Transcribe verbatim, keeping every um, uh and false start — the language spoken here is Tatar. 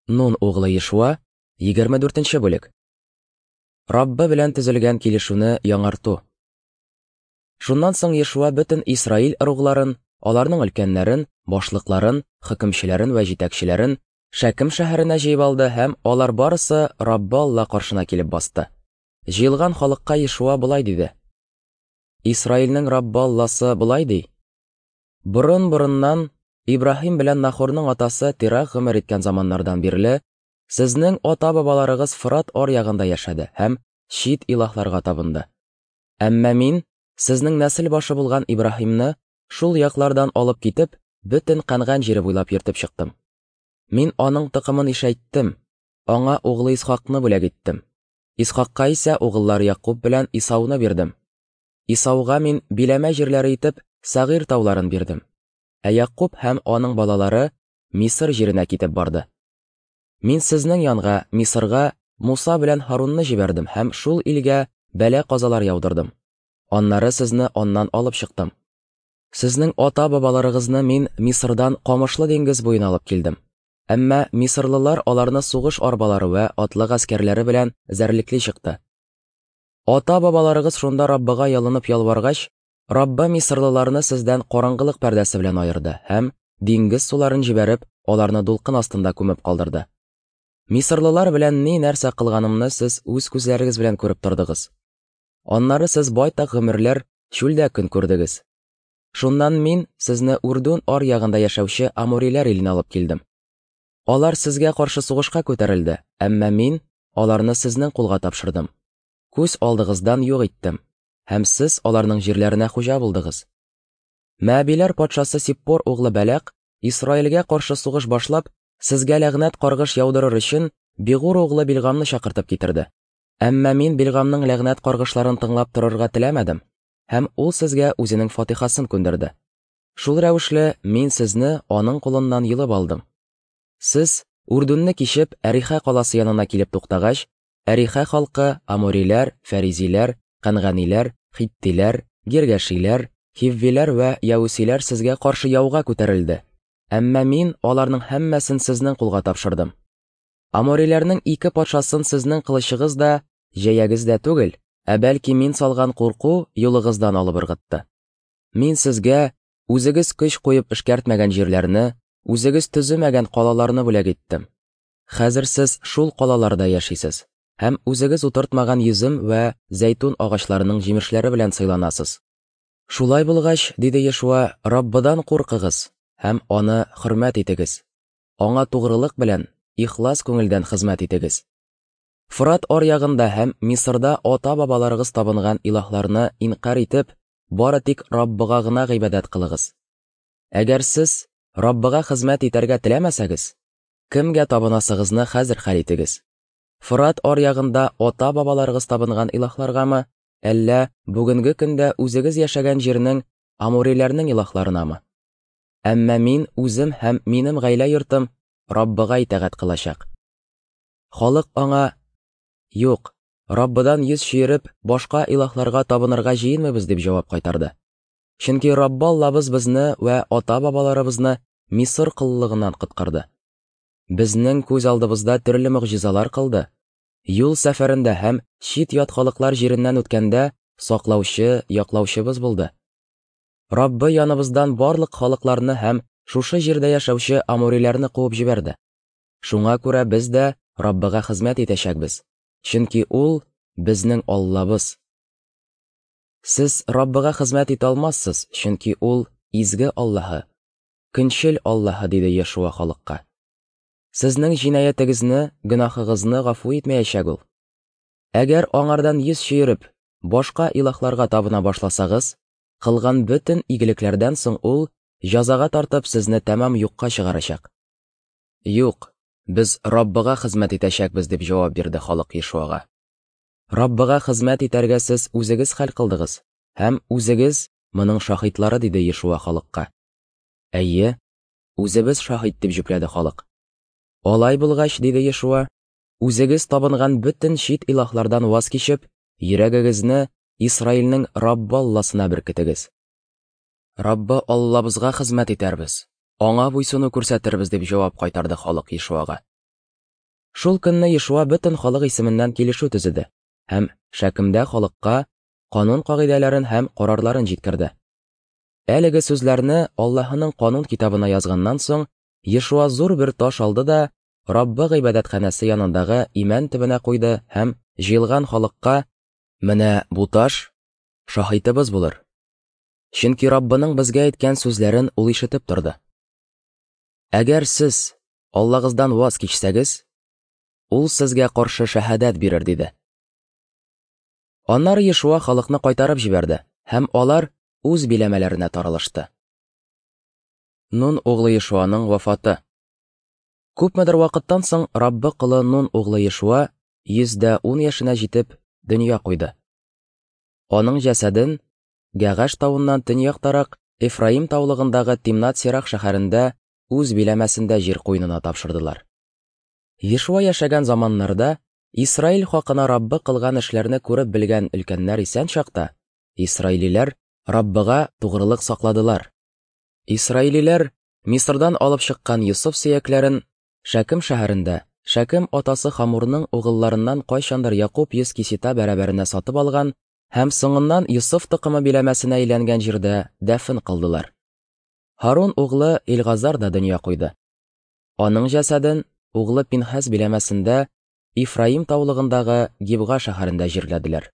Нун углы Ешуа, егерме дүртенче бүлек. Раббы белән төзелгән килешүне яңарту. Шуннан соң Ешуа бөтен Исраил ыругларын, аларның өлкәннәрен, башлыкларын, хөкемчеләрен вә җитәкчеләрен Шәкем шәһәренә җыеп алды һәм алар барысы Раббы Алла каршына килеп басты. Җыелган халыкка Ешуа болай диде: Исраилнең Раббы Алласы болай ди: Борын-борыннан Ибраһим белән Нахорның атасы Тирах гомер иткән заманнардан бирле сезнең ата-бабаларыгыз Фырат аръягында яшәде һәм чит илаһларга табынды. Әмма мин сезнең нәсел башы булган Ибраһимны шул яклардан алып китеп, бөтен Кәнган җире буйлап йөртеп чыктым. Мин аның токымын ишәйттем, аңа углы Исхакны бүләк иттем. Исхакка исә угыллары Якуб белән Исауны бирдем. Исауга мин биләмә җирләре итеп Сәгыйр тауларын бирдем. Ә Якуб һәм аның балалары Мисыр җиренә китеп барды. Мин сезнең янга, Мисырга, Муса белән Һарунны җибәрдем һәм шул илгә бәла-казалар яудырдым. Аннары сезне аннан алып чыктым. Сезнең ата-бабаларыгызны мин Мисырдан Камышлы диңгез буена алып килдем. Әмма мисырлылар аларны сугыш арбалары вә атлы гаскәрләре белән зәрлекли чыкты. Ата-бабаларыгыз шунда Раббыга ялынып ялваргач, Раббы мисырлыларны сездән караңгылык пәрдәсе белән аерды һәм диңгез суларын җибәреп, аларны дулкын астында күмеп калдырды. Мисырлылар белән ни нәрсә кылганымны сез үз күзләрегез белән күреп тордыгыз. Аннары сез байтак гомерләр чүлдә көн күрдегез. Шуннан мин сезне Урдун аръягында яшәүче амориләр иленә алып килдем. Алар сезгә каршы сугышка күтәрелде, әмма мин аларны сезнең кулга тапшырдым. Күз алдыгыздан юк иттем, һәм сез аларның җирләренә хуҗа булдыгыз. Мәбиләр патшасы Сиппор углы Бәләк Исраилгә каршы сугыш башлап, сезгә ләгънәт каргыш яудырыр өчен Бигур углы Билгамны чакыртып китерде. Әмма мин Билгамның ләгънәт каргышларын тыңлап торырга теләмәдем, һәм ул сезгә үзенең фатихасын күндерде. Шул рәвешле мин сезне аның кулыннан йолып алдым. Сез Урдунны кичеп Әрихә каласы янына килеп туктагач, Әрихә халкы амориләр, фәризиләр, кәнганиләр, хиттиләр, гиргәшиләр, хиввиләр вә яүсиләр сезгә каршы яуга күтәрелде. Әмма мин аларның һәммәсен сезнең кулга тапшырдым. Амориләрнең ике патшасын сезнең кылычыгыз да, җәягез дә түгел, ә бәлки мин салган курку юлыгыздан алып ыргытты. Мин сезгә үзегез көч куеп эшкәртмәгән җирләрне, үзегез төземәгән калаларны бүләк иттем. Хәзер сез шул калаларда яшисез һәм үзегез утыртмаган йөзем вә зәйтүн агачларының җимешләре белән сыйланасыз. Шулай булгач, диде Ешуа, Раббыдан куркыгыз һәм аны хөрмәт итегез. Аңа тугрылык белән, ихлас күңелдән хезмәт итегез. Фырат аръягында һәм Мисырда ата-бабаларыгыз табынган илаһларны инкарь итеп, бары тик Раббыга гына гыйбадәт кылыгыз. Әгәр сез Раббыга хезмәт итәргә теләмәсәгез, кемгә табынасыгызны хәзер хәл итегез. Фырат аръягында ата-бабаларыгыз табынган илаһларгамы, әллә бүгенге көндә үзегез яшәгән җирнең амориләрнең илаһларынамы? Әмма мин үзем һәм минем гаилә йортым Раббыга итагать кылачак. Халык аңа: "Юк, Раббыдан йөз чөереп, башка илаһларга табынырга җыенмыйбыз", дип җавап кайтарды. Чөнки Раббы Аллабыз безне вә ата-бабаларыбызны Мисыр коллыгыннан коткарды. Безнең күз алдыбызда төрле могҗизалар кылды. Юл сәфәрендә һәм чит-ят халыклар җиреннән үткәндә саклаучы, яклаучыбыз булды. Раббы яныбыздан барлык халыкларны һәм шушы җирдә яшәүче амориләрне куып җибәрде. Шуңа күрә без дә Раббыга хезмәт итәчәкбез, чөнки ул безнең Аллабыз. Сез Раббыга хезмәт итә алмассыз, чөнки ул изге Аллаһы, көнчел Аллаһы, диде Ешуа халыкка. Сезнең җинаятегезне, гөнаһыгызны гафу итмәячәк ул. Әгәр аңардан йөз чөереп, башка илаһларга табына башласагыз, кылган бөтен игелекләрдән соң ул җәзага тартып сезне тәмам юкка чыгарачак. Юк, без Раббыга хезмәт итәчәкбез, дип җавап бирде халык Ешуага. Раббыга хезмәт итәргә сез үзегез хәл кылдыгыз һәм үзегез моның шаһитлары, диде Ешуа халыкка. Әйе, үзебез шаһит, дип җөпләде халык. Алай булгач, диде Ешуа, үзегез табынган бөтен чит илаһлардан ваз кичеп, йөрәгегезне Исраилнең Раббы Алласына беркетегез. Раббы Аллабызга хезмәт итәрбез, аңа буйсыну күрсәтербез, дип җавап кайтарды халык Ешуага. Шул көнне Ешуа бөтен халык исеменнән килешү төзеде һәм Шәкемдә халыкка канун кагыйдәләрен һәм карарларын җиткерде. Әлеге сүзләрне Аллаһының канун китабына язганнан соң, Ешуа зур бер таш алды да Раббы гыйбадәтханәсе янындагы имән төбенә куйды һәм җыелган халыкка: «Менә бу таш шаһитыбыз булыр. Чөнки Раббының безгә әйткән сүзләрен ул ишетеп торды. Әгәр сез Аллагыздан ваз кичсәгез, ул сезгә каршы шәһадәт бирер», диде. Аннары Ешуа халыкны кайтарып җибәрде, һәм алар үз биләмәләренә таралышты. Нун углы Ешуаның вафаты. Күпмедер вакыттан соң Раббы колы Нун углы Ешуа йөз дә ун яшенә җитеп дөнья куйды. Аның җәсәден Гәгаш тавыннан төньяктарак Эфраим таулыгындагы Тимнат-Сирах шәһәрендә үз биләмәсендә җир куенына тапшырдылар. Ешуа яшәгән заманнарда Исраил хакына Раббы кылган эшләрне күреп белгән өлкәннәр исән чакта, исраилиләр Раббыга тугрылык сакладылар. Исраилиләр Мисырдан алып чыккан Йосыф сөякләрен Шәкем шәһәрендә Шәкем атасы Хамурның угылларыннан кайчандыр Якуб йөз кисета бәрабәренә сатып алган һәм соңыннан Йосыф токымы биләмәсенә әйләнгән җирдә дәфен кылдылар. Һарун углы Илгазар да дөнья куйды. Аның җәсәден углы Пинхас биләмәсендә Ифраим таулыгындагы Гибга шәһәрендә җирләделәр.